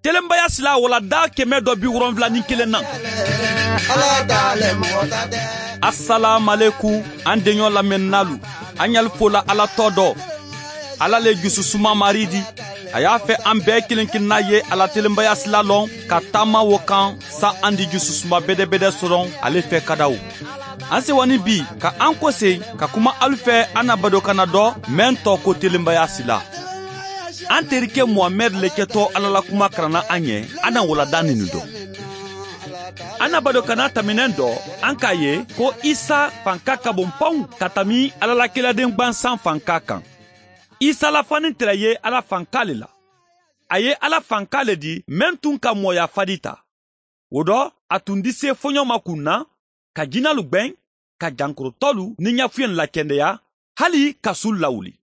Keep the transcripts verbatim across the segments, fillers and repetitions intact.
Telenbaya sila wala daa kɛmɛ dɔ bi wolonwula ni kelen na. Asalaamualeykum, an deɲɔ lamɛnnaalu, an y'alu fo la Ala tɔgɔ dɔ. Ala le jususuma Maari di. A y'a fɛ an bɛɛ kelen kelenna ye a la telenbaya sila lɔn ka taama wo kan, sa an di jususuma bedebede sɔrɔ ale fɛ kadaw. An sewa ni bi ka an kose ka kuma alu fɛ an na badokana dɔ, meŋ tɔgɔ ko telenbaya sila. An terike muhamɛdi le kɛtɔ ala la kuma karanna an ye. An na wala da ninu dɔ. An na badokana taminɛn dɔ, an k'a ye ko isa fanka ka bon paw ka tami ala la kiraden gbansan fanka kan. Isa la fani tɛrɛ ye ala fanka le la. A ye ala fanka le di, meŋ tun ka mɔɔya fadi ta. Wo dɔ, a tun dise foɲɔ ma kunna, ka jinalu gbeŋ, ka jankorotɔlu ni ɲafuyen lakendeya, hali ka su lawuli.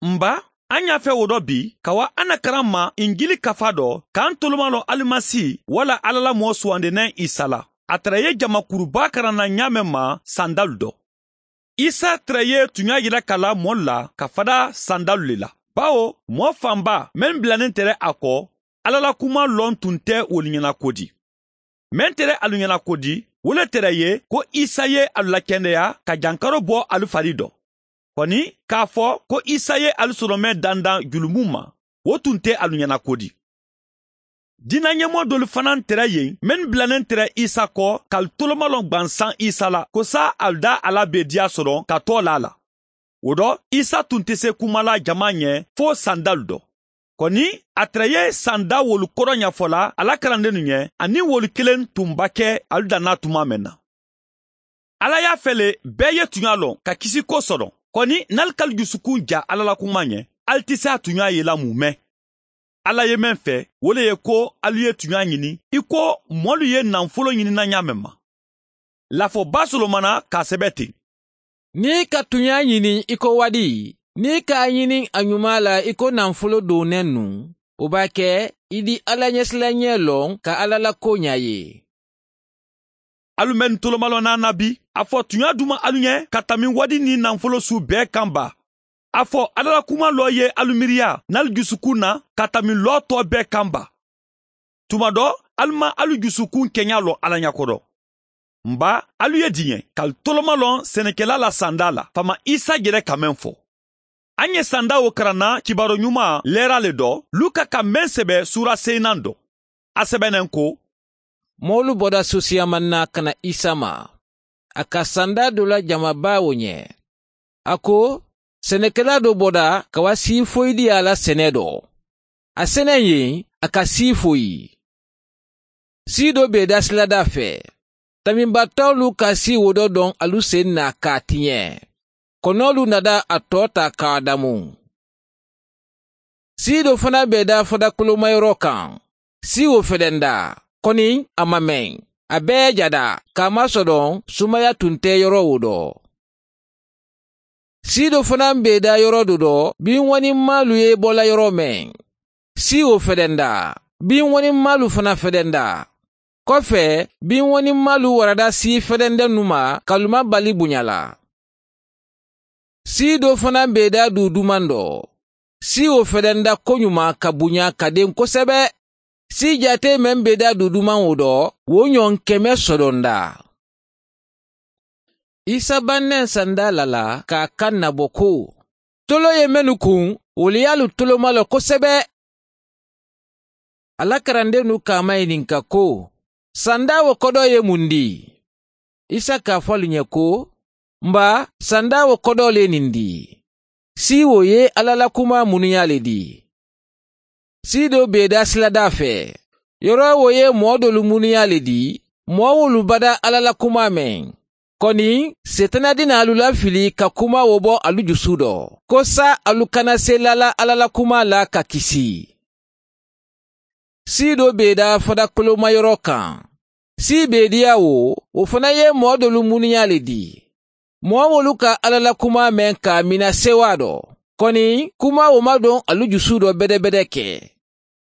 N ba, an y'a fɛ wo dɔ bi ka wa an na karan ma injili kafa dɔ, k'an tolomalɔn alimasi wala ala la mɔɔ suwandennen isa la. A tara ye jama kuruba karanna ɲaameŋ ma sandalu dɔ. Isa tara ye tuɲa yira ka la mɔɔ la ka fada sandalu le la, bawo mɔɔ fanba mennu bilanen tara a kɔ, ala la kuma lɔn tun tɛ wolu ɲɛna ko di. Meŋ tara alu ɲɛna ko di, wo le tara ye ko isa ye alu lakendeya ka jankaro bɔ alu fari dɔ. Kɔni, k'a fɔ ko isa ye alu sɔrɔmɛ dandan julumu ma, wo tun tɛ alu ɲɛna ko di. Diina ɲɛmɔgɔ dolu fanaŋ tara yen mennu bilanen tara isa kɔ ka alu tolomalɔn gbansan isa la ko sa alu da a la bediya sɔrɔ ka tɔɔ la a la. Wo dɔ, isa tun tɛ se kuma la jama ɲɛ fo sandalu dɔ. Kɔni, a tara ye sanda wolu kɔrɔ ɲafɔla a la karandennu ɲɛ, aniŋ wolu kelen tun ba kɛ alu danna tuma meŋ na. Ala y'a fele bɛɛ ye tuɲa lɔn ka kisi ko sɔrɔ. Kɔni, n'alu k'alu jusukun ja ala la kuma ɲɛ, alu ti se a tuɲa yela mumɛ. Ala ye meŋ fɛ, wo le ye ko alu ye tuɲa ɲini i ko mɔlu ye nanfolo ɲinina ɲaameŋ ma. Lafɔba solomana k'a sɛbɛ ten. Niŋ i ka tuɲa ɲini i ko wadi, niŋ i ka a ɲini a ɲuma la i ko nanfolo dooneŋ nu, wo b'a ke i di ala ɲɛsilanɲɛ loŋ ka ala la ko ɲa ye. Alu mennu tolomalɔnna na bi, a fɔ tuɲa duma alu ɲɛ ka tami wadi niŋ nanfolo su bee kaŋ ba? A fɔ ala la kuma lɔ ye alu miiriya n'alu jusukun na ka tami lɔ tɔ bee kaŋ ba? Tuma dɔ, alu maŋ alu jusukun keɲa loŋ ala ɲakoto. N ba, alu ye diɲɛ ka alu tolomalɔn senekela la sanda la faama isa jere ka meŋ fɔ. An ye sanda wo karanna kibaru ɲuman leera le dɔ, luka ka meŋ sɛbɛ suura seyinan dɔ. A sɛbɛnen ko, moolu bɔda sosiyaman na ka na isa ma, a ka sanda do la jamaba wo ɲɛ. A ko, senekela do bɔda ka wa sii foyidiya la sene do. A sene yen, a ka sii foyi. Sii do be da silada fe. Taminbatɔlu ka sii wo do doŋ alu sen na ka a tiɲe. Konolu nada a tɔ ta ka a damu. Sii do fana be da fada kolomayɔrɔ kaŋ. Sii wo fedenda, koni a ma meŋ. A bee jada ka a ma sodoŋ sumaya tun te yɔrɔ wo do. Sii do fanaŋ be da yɔrɔ do do, biŋ wanimmaalu ye bola yɔrɔ meŋ. Sii wo fedenda, biŋ wanimmaalu fana fedenda. Kofe, biŋ wanimmaalu warada sii fedendennu ma ka luma bali buɲa la. Sii do fanaŋ be da duu dumaŋ do. Sii wo fedenda koɲuma ka buɲa ka deŋ kosebe. Sii jaatee meŋ be da duu dumaŋ wo do, wo ɲoŋ keme sodonda. Isa baŋ neŋ sanda la la ka a kaŋ na bo ko, tolo ye mennu kuŋ, wolu ye alu toloma lo kosebe. A la karandennu ka a mayininka ko, sanda wo kodoo ye muŋ di? Isa ka a fo alu ɲe ko, mba, sanda wo kodoo le niŋ di. Sii wo ye alla la kumaa munuyaa le di. Sii doo be i daa siladaa fee. Yoro wo ye moo doolu munuyaa le di. Moo wolu bada alla la kumaa meŋ. Koni, seetana dinaalu lafili ka kumaa wo bo alu jusu do, ko sa alu kana seelala alla la kumaa la ka kisi. Sii doo be i daa fada kolomayoro kaŋ. Sii be i diya wo, wo fana ye moo doolu munuyaa le di. Moo wolu ka alla la kumaa meŋ ka a mina sewaa do. Koni, kumaa wo ma doŋ alu jusu do bedebede ke.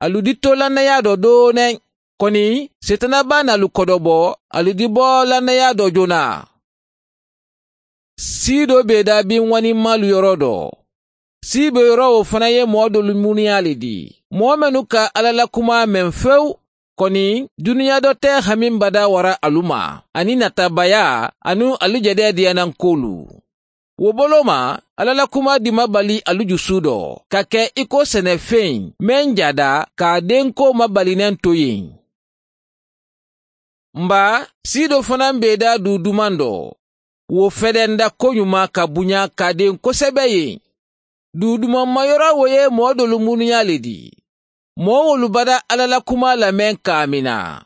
Alu di to lannayaa do dooneŋ. Koni, seetana baa na alu kodobo, alu di bo lannayaa do jonaa. Sii doo be i daa biŋ wanimmaalu yoro do. Sii be yoro wo fana ye moo doolu munuyaa le di. Moo mennu ka alla la kumaa meŋ fewu, koni duniyaa do te hamiŋ badaa wara alu ma, aniŋ natabayaa aniŋ alu jadeediyanankoolu. Wo boloo ma, alla la kumaa di ma bali alu jusu do ka ke i ko senefeŋ meŋ jaada ka a denkoo ma bali neŋ to yeŋ. Mba, sii do fanaŋ be i daa duu dumaŋ do. Wo fedenda koɲumaa ka buɲaa ka a deŋ kosebe yeŋ. Duu dumaŋ ma yoro wo ye moo doolu munuɲaa le di. Moo wolu bada alla la kumaa lameŋ kaamina.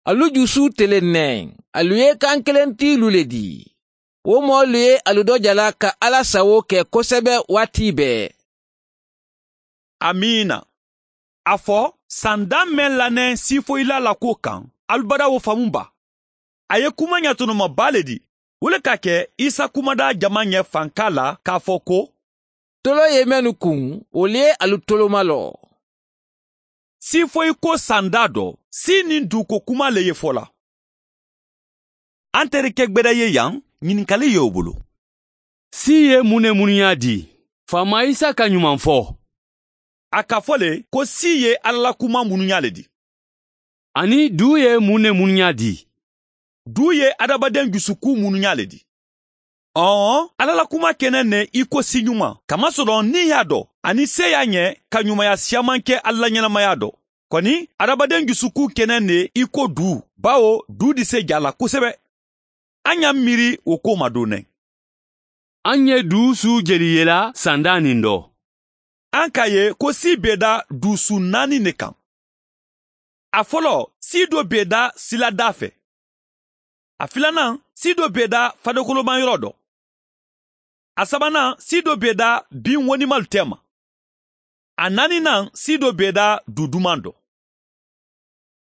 Alu jusu teleŋ ne. Alu ye kankilentiilu le di. Wo moolu ye alu do jala ka alla sawoo ke kosebe waati bee. Amiina. A fo sandaa meŋ la ne siifoyilaa la kuwo kaŋ, alu bada wo famu ba? A ye kuma ɲatonoma baa le di. Wo le ka ke isa kumadaa jama ɲe fankaa la ka a fo ko, toloo ye mennu kuŋ, wolu ye alu tolomaloo. Siifoyi ko sandaa do, sii niŋ duuko kumaa le ye fo la. Anterike gbeda ye yaŋ, ɲininkali ye wo bulu. Sii ye muŋ ne munuɲaa di? Faama isa ka ɲumaŋ fo. A ka fo le ko sii ye alla la kumaa munuɲaa le di. Aniŋ duu ye muŋ ne munuɲaa di? Duu ye adamadeŋ jusukuu munuɲaa le di. Ɔɔ, alla la kumaa ke ne ne i ko sii ɲumaŋ kamasoloŋ niŋ i ye a do, aniŋ seeyaa ɲe ka ɲumaya siyaamanke alla la ɲenamaya do. Koni adamadeŋ jusukuu ke ne ne i ko duu, bawo duu di se jaa la kosebe. A ŋa miiri wo ko ma do ne. A ŋa duu suu jeli yela sandaa niŋ do. A ŋa ka ye ko sii be i daa duu suu naani ne kaŋ. A foloo sii do be i daa sila daa fe. A filanaŋ sii do be i daa fadekolomaŋ yoro do. A sabanaŋ sii do be i daa biŋ wonimalu teema. A naaniinaŋ sii do be i daa duu dumaŋ do.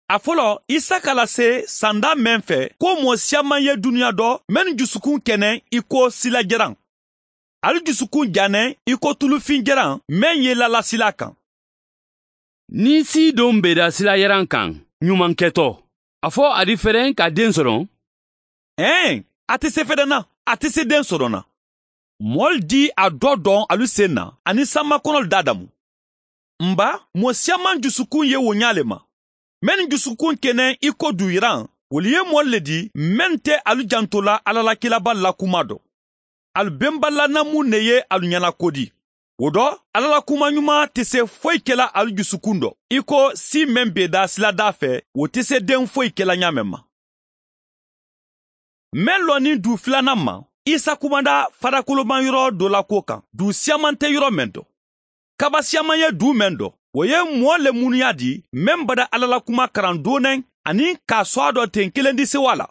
A foloo isa ka la see sandaa meŋ fe ko moo siyamaŋ ye duniyaa do mennu jusukun ke ne i ko sila jeraŋ. Ali jusukun ja ne i ko tulufiŋ jeraŋ meŋ ye lala sila kaŋ. Niŋ sii doŋ be i daa sila jeraŋ kaŋ ɲumaŋ ke to, a fo a di fereŋ ka deŋ soroŋ? Eeŋ, a te se fedena. A te se deŋ soroŋ na. Moolu di a do doŋ alu seŋ na aniŋ samma konolu daadamu. Mba, moo siyamaŋ jusukun ye wo ɲaa le ma. Mennu jusukun ke ne i ko duu yeraŋ, wolu ye moolu le di mennu te alu janto la alla la kilaabaalu la kumaa do. Ali bembalanamuŋ ne ye alu ɲanakodi. Wo do, alla la kumaɲumaa te se foyi ke la ali jusukun do i ko sii meŋ be i daa sila daa fe, wo te se deŋ foyi ke la ɲaa meŋ ma. Meŋ loŋ niŋ duu filanaŋ ma, isa kumanda fadakolomaŋ yoro do la kuwo kaŋ duu siyamaŋ te yoro meŋ do. Kaba siyamaŋ ye duu meŋ do, wo ye moo le munuyaa di meŋ bada alla la kumaa karaŋ dooneŋ aniŋ ka a so a do teŋ kelendisewa la.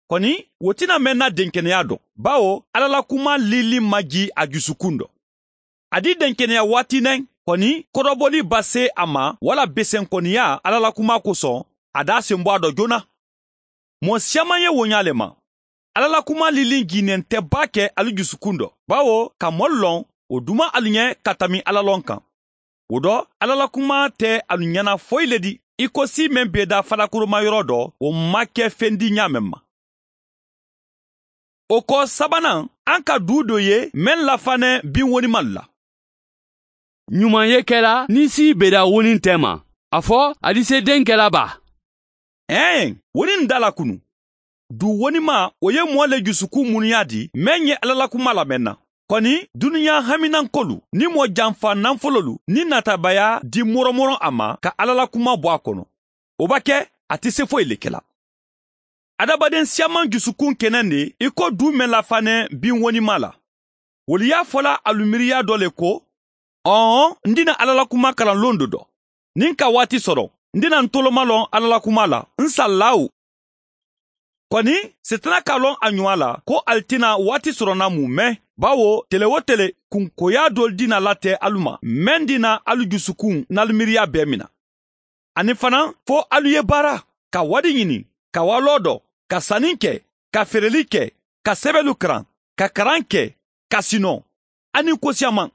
Koni wo ti na meŋ na denkeneyaa do, bawo alla la kumaa liiliŋ maji a jusukun do. A di denkeneya waati neŋ, koni kodoboli ba see a ma walla besenkoniyaa alla la kumaa kosoŋ, a daa sembo a do joona. Moo siyamaŋ ye wo ɲaa le ma. Alla la kumaa liiliŋ jiinente baa ke ali jusukun do, bawo ka moolu loŋ wo duma ali ɲe ka tambi alla loŋ kaŋ. Wo do, alla la kumaa te alu ɲana foyi le di i ko sii meŋ be i daa fadakolomaŋ yoro do, wo maŋ ke fendi ɲaa meŋ ma. Wo ko sabanaŋ, a ŋa ka duu do ye meŋ lafa ne biŋ wonimalu la. Ɲumaŋ ye ke la niŋ sii be i daa woniŋ teema, a fo a di se deŋ ke la baa? Eeŋ, woniŋ daa la kunu. Duu wonimaa wo ye moo le jusukun munuyaa di meŋ ye alla la kumaa lamenna. Koni duniyaa haminankolu niŋ moo janfa nanfololu niŋ natabayaa di moromoroŋ a ma ka alla la kumaa bo a kono. Wo ba ke, a te se foyi le ke la. Adamadeŋ siyamaŋ jusukun ke ne ne i ko duu meŋ lafa ne biŋ wonimaa la. Wolu ye a fo la alu miiriyaa do le ko, ɔɔ, n dina alla la kumaa kalanloŋ do do. Niŋ n ka waati soro, n dina n toloma loŋ alla la kumaa la n sallaawu. Koni, setana ka loŋ a ɲumaa la ko ali ti na waati soronaŋ mu meŋ, bawo tele-wo-tele kunkoyaa doolu dina la te alu ma meŋ dina alu jusukun n'alu miiriyaa bee mina. Aniŋ fanaa, fo alu ye baara, ka wadi ɲini, ka waaloo do, ka sani ke, ka feereli ke, ka sebelu karaŋ, ka karaŋ ke, ka sinoo, aniŋ ko siyamaŋ.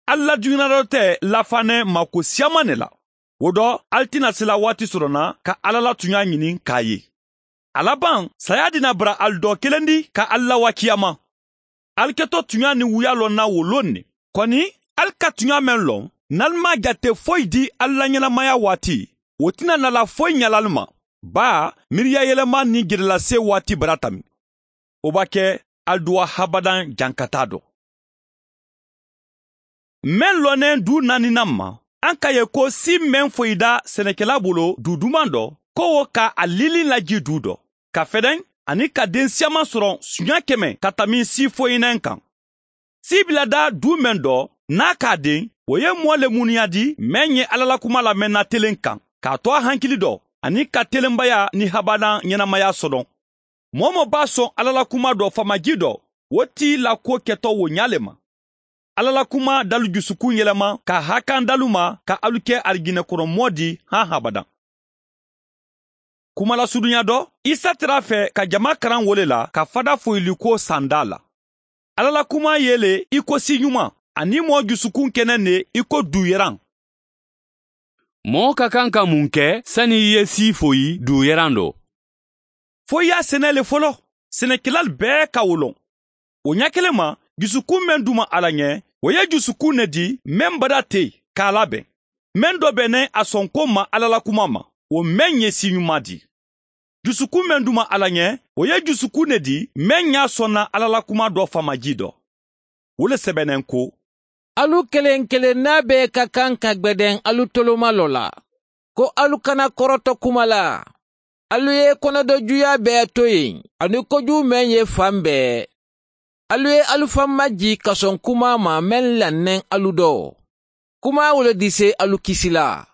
Ali la duɲanaroo te lafa ne ma ko siyamaŋ ne la. Wo do, ali ti na sila waati soronaŋ ka alla la tuɲaa ɲini ka a ye. A labaŋ, saayaa di na bara ali doo kelendi ka ali lawakiyama. Ali ke to tuɲaa niŋ wuyaaloo na wo loŋ ne. Koni, ali ka tuɲaa meŋ loŋ, n'alu maŋ a jate foyi di alu la ñanamaya waati, wo ti na nala foyi ñala alu ma. Baa miiriya yelema niŋ jedelase waati barata mi. Wo b'a ke alu duwa habadaŋ jankataa do. Meŋ loneŋ duu naaninan ma, aŋ ka ye ko sii meŋ foyi da senekela bulu duu dumaŋ do, ko wo ka a liiliŋ la jii duu do, ka fedeŋ aniŋ ka deŋ siyamaŋ soroŋ suɲa keme ka tammi sii foyinaŋ kaŋ. Sii bila da duu meŋ do, niŋ a ka a deŋ, wo ye moo le munuyaandi meŋ ye alla la kumaa lamenna teleŋ kaŋ, ka a tu a hankili do aniŋ ka telembayaa niŋ habadaŋ ñanamaya sodoŋ. Moo-wo-moo be a soŋ alla la kumaa do faamaji do, wo ti la kuwo keto wo ñaa le ma. Alla la kumaa da alu jusukuŋ yelema ka a haakanda alu ma ka alu ke arijinna kono moo ti haŋ habadaŋ. Kumalasuduɲa do, isa tara a fee ka jamaa karaŋ wo le la ka fadafoyilikuwo sandaa la. Alla la kumaa ye le i ko siiɲumaa, aniŋ moo jusukuŋ kene ne i ko duuyeraŋ. Moo ka kaŋ ka muŋ ke sani i ye sii foyi duuyeraŋ do? Fo i ye a sene le foloo. Senekelaalu bee ka wo loŋ. Wo ñaa kele ma, jusukuŋ meŋ duma a la ñe, wo ye jusukuŋ ne di meŋ badaa te ka a labeŋ. Meŋ do be ne a sonko maŋ alla la kumaa ma, wo meŋ ye siiɲumaa di. Jusukuŋ meŋ duma a la ñe, wo ye jusukuŋ ne di meŋ ñaa sonna alla la kumaa do faamaji do. Wo le sebeneŋ ko, alu keleŋ keleŋ naa bee ka kaŋ ka gbedeŋ alu tolomaloo la, ko alu kana koroto kuma la. Alu ye konodojuyaa bee to yen, aniŋ kojuu meŋ ye faŋ bee. Alu ye alu faŋ majii kasoŋ kumaa ma meŋ lanneŋ alu do. Kumaa wo le disee alu kisi la.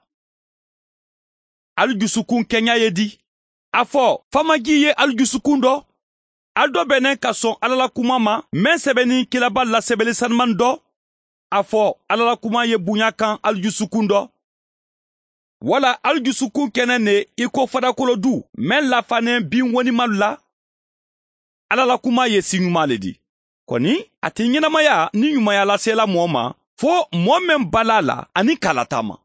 Alu jusukuŋ keñaa ye di? A fo faamajii ye alu jusukuŋ do? Alu do be ne ka soŋ alla la kumaa ma meŋ sebenin kilabaalu la sebele sanimaŋ do? A fo alla la kumaa ye buɲaa kaŋ alu jusukuŋ do? Walla alu jusukuŋ kene ne i ko fadakoloo duu meŋ lafaneŋ biŋ wonimalu la? Alla la kumaa ye siiɲumaa le di. Koni a ti ñenamaya niŋ ɲumaya laseela moo ma, fo moo meŋ balaa la aniŋ ka a lataama.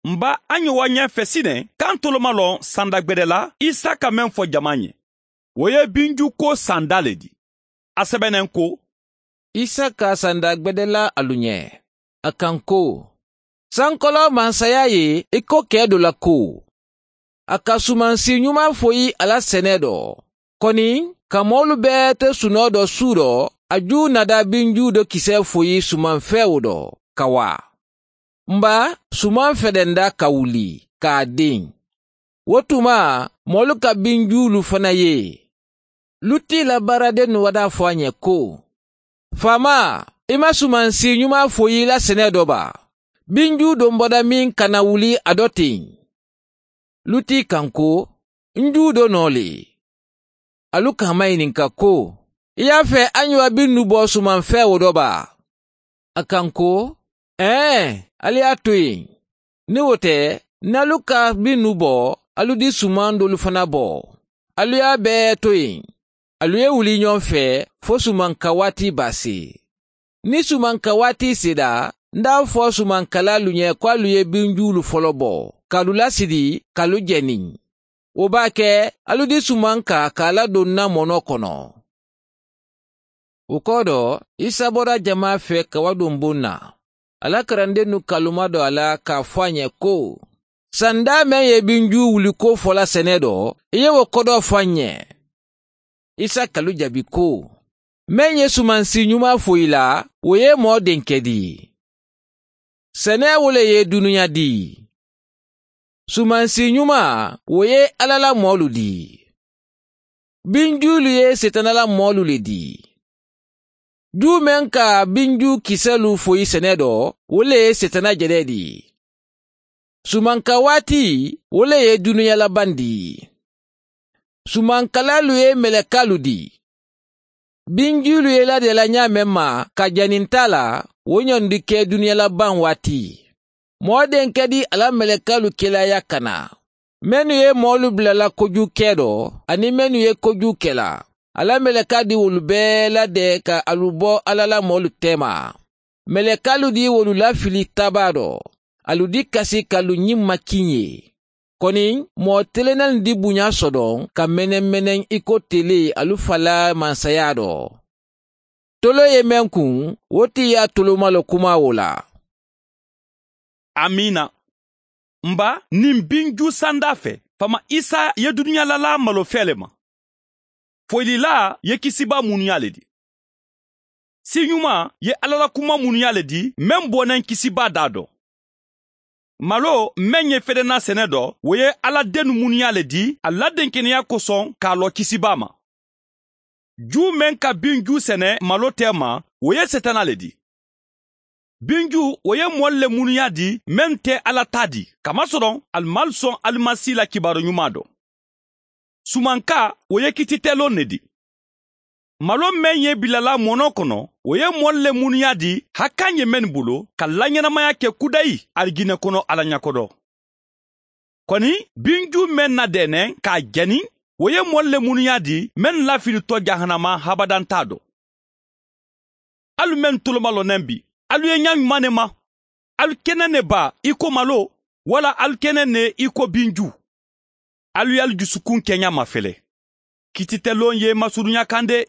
M baa a ñowa ñee fesineŋ kaŋ tolomaloo sanda gbede la isa ka meŋ fo jamaa ñe, wo ye binjuu kuwo sanda le di. A sebeneŋ ko, isa ka sanda gbede la alu ñe. A kaŋ ko, sankoloo mansayaa ye i ko kee do la ko, a ka sumaŋ siiɲumaa foyi a la senee do, koni ka moolu bee te sunoo do suu do, a juu nada binjuu do kisee foyi sumaŋ feewo do ka waa. M baa sumaŋ fedenda ka wuli ka a deŋ. Wo tuma moolu ka binjuulu fana ye. Luti la baaradennu wadaa fo a ñe ko, faamaa, i ma sumaŋ siiɲumaa foyi la senee do baa? Binjuu do m boda meŋ kana wuli a do teŋ. Luti kaŋ ko, n juu do noo le. Alu ka a mayininka ko, i ye a fee a ñowa binnu bo sumaŋ feewo do baa? A kaŋ ko, ee, ali ye a to yen. Niŋ wo te, niŋ alu ka binnu bo, alu di sumaŋ doolu fanaa bo. Alu ye a bee to yen. Alu ye wuli ñoŋ fee fo sumanka waati be a see. Niŋ sumanka waati seeta, n da a fo sumankalaalu ñe ko alu ye binjuulu foloo bo ka alu lasidi ka alu je niŋ. Wo be a ke alu di sumanka ka a ladoŋ n na monoo kono. Wo kodo, isa bota jamaa fee ka waduŋ buŋ na. A la karandennu ka luma do a la ka a fo a ñe ko, sandaa meŋ ye binjuu wuliko fo la senee do, i ye wo kodoo fo a ñe? Isa ka alu jabi ko, meŋ ye sumaŋ siiɲumaa fo i la, wo ye moo denke di. Senee wo le ye duniya di. Sumaŋ siiɲumaa wo ye alla la moolu di. Binjuulu ye setana la moolu le di. Juu meŋ ka binjuu kiseelu foyi senee do, wo le ye setana jedee di. Sumanka waati, wo le ye duniya labaŋ di. Sumankalaalu ye melekaalu di. Binjuulu ye i lade la ñaameŋ ma ka janintaa la, wo ñoŋ di ke duniya labaŋ waati. Moo denke di a la melekaalu kelaaya kana, mennu ye moolu bula la kojuu kee do aniŋ mennu ye kojuu ke la. A la melekaa di wolu bee lade ka alu bo alla la moolu teema. Melekaalu di wolu lafili tabaa do. Alu di kasi ka alu ñiŋ makiŋ ye. Koni moo telenalu di buñaa sodoŋ ka menemmeneŋ i ko telee alu falaa mansayaa do. Toloo ye meŋ kuŋ, wo ti ye a tolooma le kumaa wo la. Amiina. N ba, niŋ binjuu sandaa fe, faama isa ye duniyaa lalaa maloo fee le ma. Foyililaa ye kisibaa munuyaa le dii. Siiñumaa ye alla la kumaa munuyaa le dii meŋ boo naŋ kisibaa daa do. Maloo meŋ ye fedenaa sene do, wo ye alla dennu munuyaa le dii a la denkeneyaa kosoŋ ka a loo kisibaa ma. Juu meŋ ka binjuu sene maloo teema, wo ye setanaa le dii. Binjuu wo ye moolu le munuyaa dii meŋ te alla taa dii kamasoroŋ ali maalu soŋ alimasi la kibaaru ñumaa do. Sumankaa wo ye kititeloŋ ne dii. Maloo meŋ ye bilalaa monoo kono, wo ye moolu le munuyaa dii hakkaŋ ye mennu bulu ka lañenamaya ke kudayi arijinne kono alla ñakodoo. Koni binjuu meŋ na deeneŋ ka a jani, wo ye moolu le munuyaa dii mennu lafili to jahannama habadantaa do. Alu mennu tolomaloo neŋ bi, alu ye ñaa ñumaŋ ne ma. Alu ke naŋ ne baa i ko maloo, walla alu ke naŋ ne i ko binjuu? Alu ye alu jusukuŋ keñaa mafele. Kititeloŋ ye masuruña kaŋ de.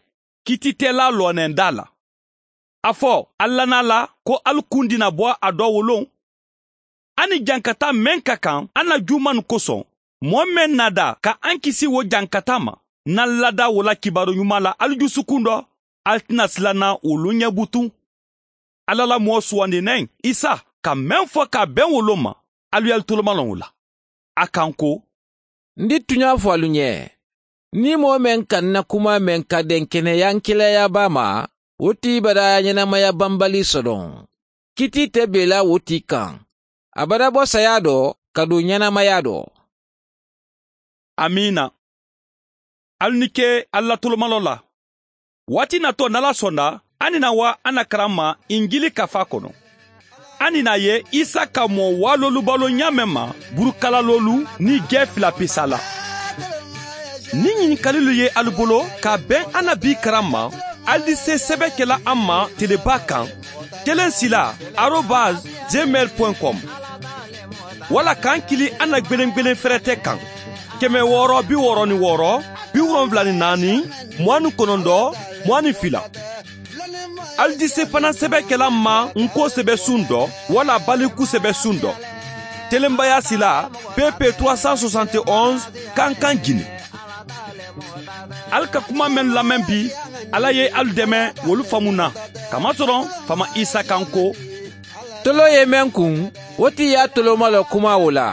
Kititelaa looneŋ daa la. A fo alla naa la ko alu kundi na bo a doo wo loŋ. A niŋ jankataa meŋ ka kaŋ a na juumanu kosoŋ, moo meŋ na daa ka aŋ kisi wo jankataa ma, niŋ alu ladaa wo la kibaaru ñumaa la alu jusukuŋ do, alu ti na sila naŋ wo luŋ ñe butuŋ. Alla la moo suwandi neŋ isa ka meŋ fo ka a beŋ wo loŋ ma. Alu ye alu tolomaloŋ wo la. A kaŋ ko, n di tuñaa fo alu ñe, niŋ moo meŋ ka n na kumaa meŋ ka denkeneyaŋ kilayaa baa ma, wo ti i badaa ñenamaya bambali sodoŋ. Kitii te bee la wo ti kaŋ, a badaa bo sayaa do ka duŋ ñenamaya do. Amiina. Alu ni ke alla tolomaloo la. Waati natoo niŋ alla sonda, a ni na waa a na karamma injili kafaa kono. A ni na a ye isa ka moo waaloolu baloo ñaameŋ ma, burukalaloolu niŋ jee fila pisala. Niŋ ñinikalilu ye alu bolo ka a beŋ a na bii karamma, alu di see sebe kela a ma telebaa kaŋ, teleŋ sila arobas gmail point com. Walla ka n kili a na gbelengbelen ferete kaŋ, keme wooro bi wooro ni wooro, bi wolonwula ni naani, muwaani konondoo, muwaani fila. Alu di sefanaŋ sebe kela n ma n koo sebe suŋ do, walla baliku sebe suŋ do. Telembayaa sila, pepe trois cent soixante et onze, kankaŋ jini. Alu ka kumaa mennu lameŋ bi, alla ye alu deme wolu famu na, kamasoroŋ faama isa kaŋ ko, toloo ye meŋ kuŋ, wo ti ye a tolooma le kumaa wo la.